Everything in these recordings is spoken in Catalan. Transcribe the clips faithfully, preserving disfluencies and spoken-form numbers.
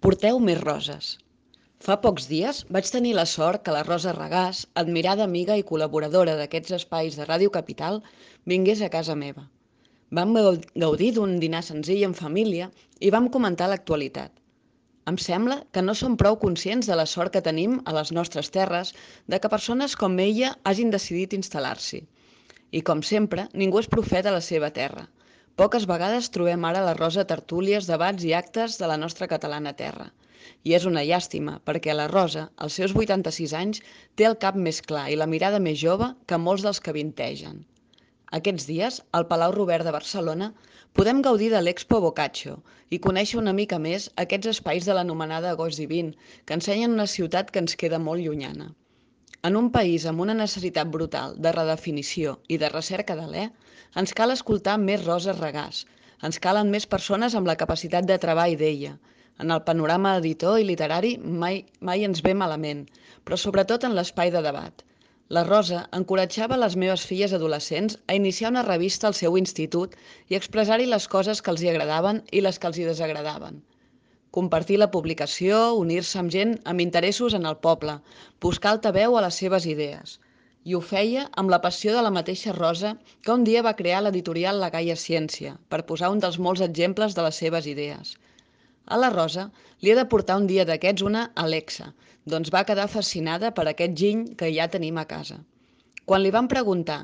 Porteu més roses. Fa pocs dies vaig tenir la sort que la Rosa Regàs, admirada amiga i col·laboradora d'aquests espais de Ràdio Capital, vingués a casa meva. Vam gaudir d'un dinar senzill en família i vam comentar l'actualitat. Em sembla que no som prou conscients de la sort que tenim a les nostres terres de que persones com ella hagin decidit instal·lar-s'hi. I com sempre, ningú és profeta a la seva terra. Poques vegades trobem ara la Rosa a tertúlies, debats i actes de la nostra catalana terra. I és una llàstima, perquè la Rosa, als seus vuitanta-sis anys, té el cap més clar i la mirada més jove que molts dels que vintegen. Aquests dies, al Palau Robert de Barcelona, podem gaudir de l'Expo Boccaccio i conèixer una mica més aquests espais de l'anomenada Agost Divin, que ensenyen una ciutat que ens queda molt llunyana. En un país amb una necessitat brutal de redefinició i de recerca d'alè, ens cal escoltar més Roses Regàs. Ens calen més persones amb la capacitat de treball d'ella. En el panorama editor i literari mai, mai ens ve malament, però sobretot en l'espai de debat. La Rosa encoratjava les meves filles adolescents a iniciar una revista al seu institut i expressar-hi les coses que els hi agradaven i les que els hi desagradaven. Compartir la publicació, unir-se amb gent amb interessos en el poble, buscar altaveu a les seves idees. I ho feia amb la passió de la mateixa Rosa que un dia va crear l'editorial La Gaia Ciència, per posar un dels molts exemples de les seves idees. A la Rosa li he de portar un dia d'aquests una Alexa, doncs va quedar fascinada per aquest giny que ja tenim a casa. Quan li van preguntar,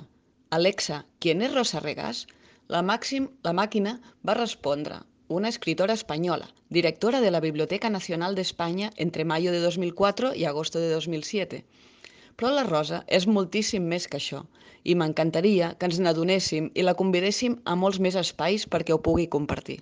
Alexa, ¿quién es Rosa Regàs? La, màxim, la màquina va respondre, una escritora española, directora de la Biblioteca Nacional de España entre mayo de dos mil cuatro y agosto de dos mil siete. Però la Rosa és moltíssim més que això i m'encantaria que ens n'adonéssim i la convidéssim a molts més espais perquè ho pugui compartir.